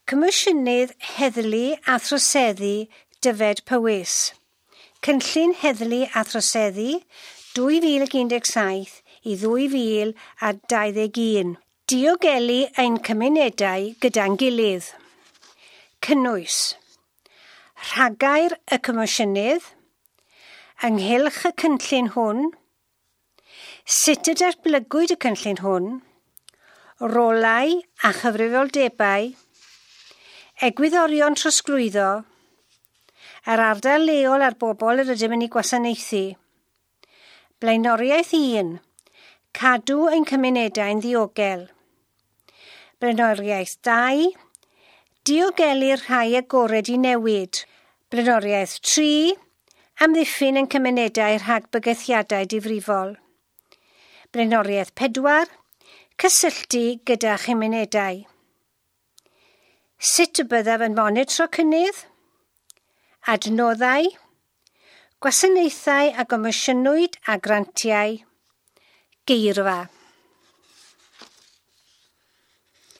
Comisiynydd Heddlu a Throseddu Dyfed Powys. Cynllun Heddlu a Throseddu 2017 i 2021. Diogelu ein cymunedau gyda'n gilydd. Cynnwys. Rhagair y Comisiynydd, ynghylch y cynllun hwn, sut y datblygwyd y cynllun hwn, rolau a chyfrifoldebau, egwyddorion trosglwyddo, yr ardal leol a'r bobl yr ydym yn ei gwasanaethu. Blaenoriaeth 1. Cadw ein cymunedau'n ddiogel. Blaenoriaeth 2. Diogelu'r rhai agored i newid. Blaenoriaeth 3. Amddiffyn ein cymunedau rhag bygythiadau difrifol. Blaenoriaeth 4. Cysylltu gyda chymunedau. Sut y byddaf yn monitro cynnydd? Adnoddau, gwasanaethau a gomisiynwyd a grantiau, geirfa.